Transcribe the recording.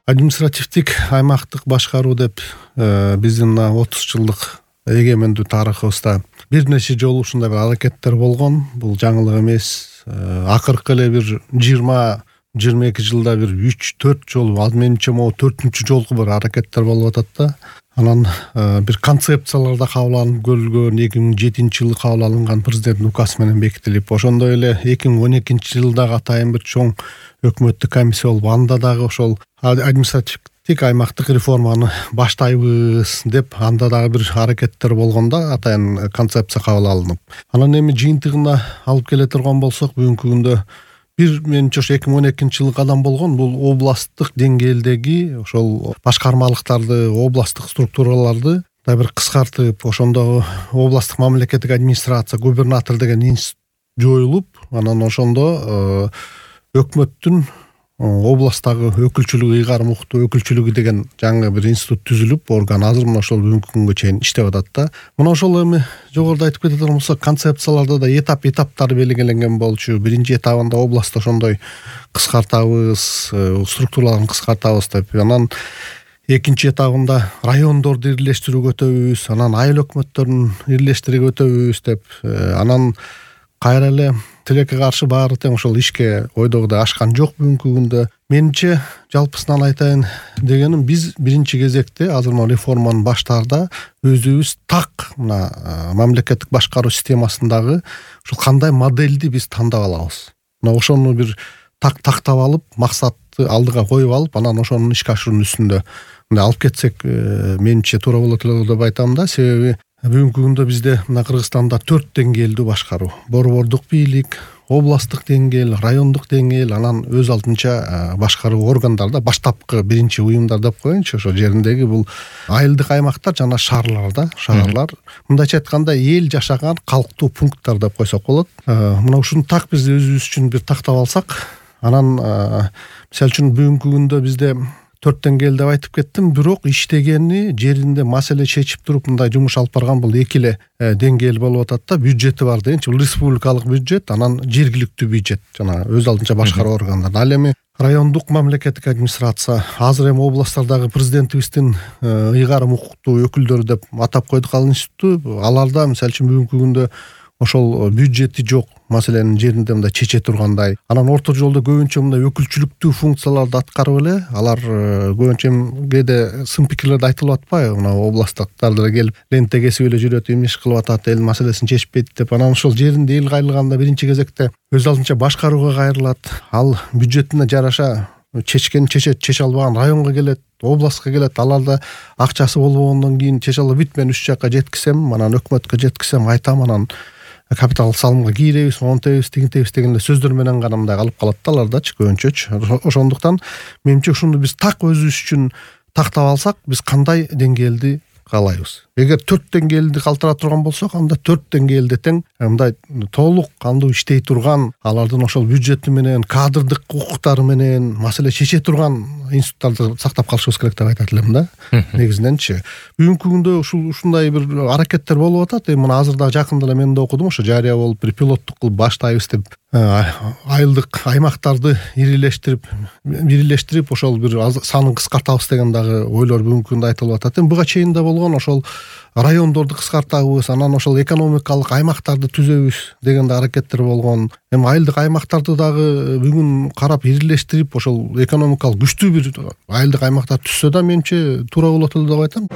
Административдик аймактык башкаруу деп биздин 30 жылдык эгемендүү тарыхыбызда бир нече жолу ушундай бир аракеттер болгон. Бул жаңылык эмес. Акыркы эле бир 20-22 жылда бир 3-4 жолу, ал менимче могу 4-үнчү жолку бир аракеттер болуп атат да. Анан бир концепциялар да кабыл алынып көрүлгөн. 2007-жылы кабыл алынган президенттин указы менен бекитилип, ошондой эле 2012-жылдагы атайын бир чоң өкмөттүк комиссия болуп, анда дагы ошол административдик аймактык реформаны баштайбыз деп, анда дагы бир аракеттер болгондо атайын концепция кабыл алынып, анан эми жыйынтыгына алып келе турган болсок, бүгүнкү күндө бир менимче ошо 2012-жылы кадам болгон. Бул областтык деңгээлдеги ошол башкармалыктарды, областтык структураларды да бир кыскартып, ошондо областтык мамлекеттик администрация, губернатор деген институт жоюлуп, анан ошондо өкмөттүн областтагы өкүлчүлүгү, ыйгарым укуктуу өкүлчүлүгү деген жаңы бир институт түзүлүп, орган азыр мына ошол бүгүнкү күнгө чейин иштеп атат да. Мына ошол эми жогоруда айтып кете турган болсок, концепцияларда да этаптары белгиленген болчу. Биринчи этабында областта ошондой кыскартабыз, структураларын кыскартабыз деп, анан экинчи этабында райондорду ирилештирүүгө өтөбүз, анан айыл өкмөттөрүн ирилештирүүгө өтөбүз деп, анан кайра эле тилекке каршы баары тең ошол ишке ойдогудай ашкан жок бүгүнкү күндө. Менимче жалпысынан айтайын дегеним, биз биринчи кезекте азыр мына реформаны баштаарда өзүбүз так мына мамлекеттик башкаруу системасындагы ушул кандай модельди биз тандап алабыз, мына ошону бир тактап алып, максатты алдыга коюп алып, анан ошону ишке ашыруунун үстүндө мындай алып кетсек, менимче туура болот эле деп айтам да. Себеби бүгүнкү күндө бизде мына Кыргызстанда 4 деңгээлдүү башкаруу, борбордук бийлик, областтык деңгээл, райондук деңгээл, анан өз алдынча башкаруу органдарда баштапкы биринчи уюмдар деп коеюнчу, ошо жериндеги бул айылдык аймактар жана шаарларда, шаарлар, мындайча айтканда эл жашаган калктуу пункттар деп койсок болот. Мына ушуну так биз өзүбүз үчүн бир тактап алсак, анан мисалы үчүн бүгүнкү күндө бизде 4 деңгээл деп айтып кеттим, бирок иштегени, жеринде маселе чечип туруп мындай жумуш алып барган бул эки эле деңгээл болуп атат да. Бюджети бар дегенчи, бул республикалык бюджет, анан жергиликтүү бюджет, жана өз алдынча башкаруу органдар. Ал эми райондук мамлекеттик администрация, азыр эми областтардагы президентибиздин ыйгарым укуктуу өкүлдөрү деп атап койдук ал институтту. Аларда мисалы үчүн бүгүнкү күндө ошол бюджети жок маселенин жеринде мындай чече тургандай. Анан орто жолдо көбүнчө мындай өкүлчүлүктүү функцияларды аткарып эле, алар көбүнчө кээде сын пикирлерди айтылып атпайбы, мына областтыктар деле келип ленте кесип эле жүрөт, эмне иш кылып атат, эл маселесин чечпейт деп. Анан ошол жеринде эл кайрылганда биринчи кезекте өз алдынча башкарууга кайрылат. Ал бюджетине жараша чече албаган районго келет, областка келет, аларда акчасы болбогондон кийин чече алып бүт, мен уш жака жеткизсем, анан өкмөткө жеткизсем, айтам, анан капитал салымга кийребиз, монтебиз, тигинтебиз деген сөздөр менен гана мындай калып калат да алардачы көбүнчөчү. Ошондуктан менимче ушуну биз так өзүбүз үчүн тактап алсак, биз кандай деңгээлди каалайбыз. Эгер 4 деңгээлди калтыра турган болсок, анда 4 деңгээлде тең мындай толук кандуу иштей турган, алардын ошол бюджети менен, кадрдык укуктары менен маселе чече турган институттарды сактап калышыбыз керек деп айтат элем да. Негизиненчи бүгүнкү күндө ушундай бир аракеттер болуп атат. Мына азыр да жакында эле мен да окудум, ошо жарыя болуп бир пилоттук кылып баштайбыз деп, айылдык аймактарды ирилештирип ошол бир санын кыскартабыз деген дагы ойлор бүгүнкү күндө айтылып атат. Буга чейин да болгон, ошол райондорду кыскартабыз, анан ошол экономикалык аймактарды түзөбүз деген да аракеттер болгон. Эми айылдык аймактарды дагы бүгүн карап ирилештирип, ошол экономикалык күчтүү бир айылдык аймактар түзсө да менимче туура болот эле деп айтам.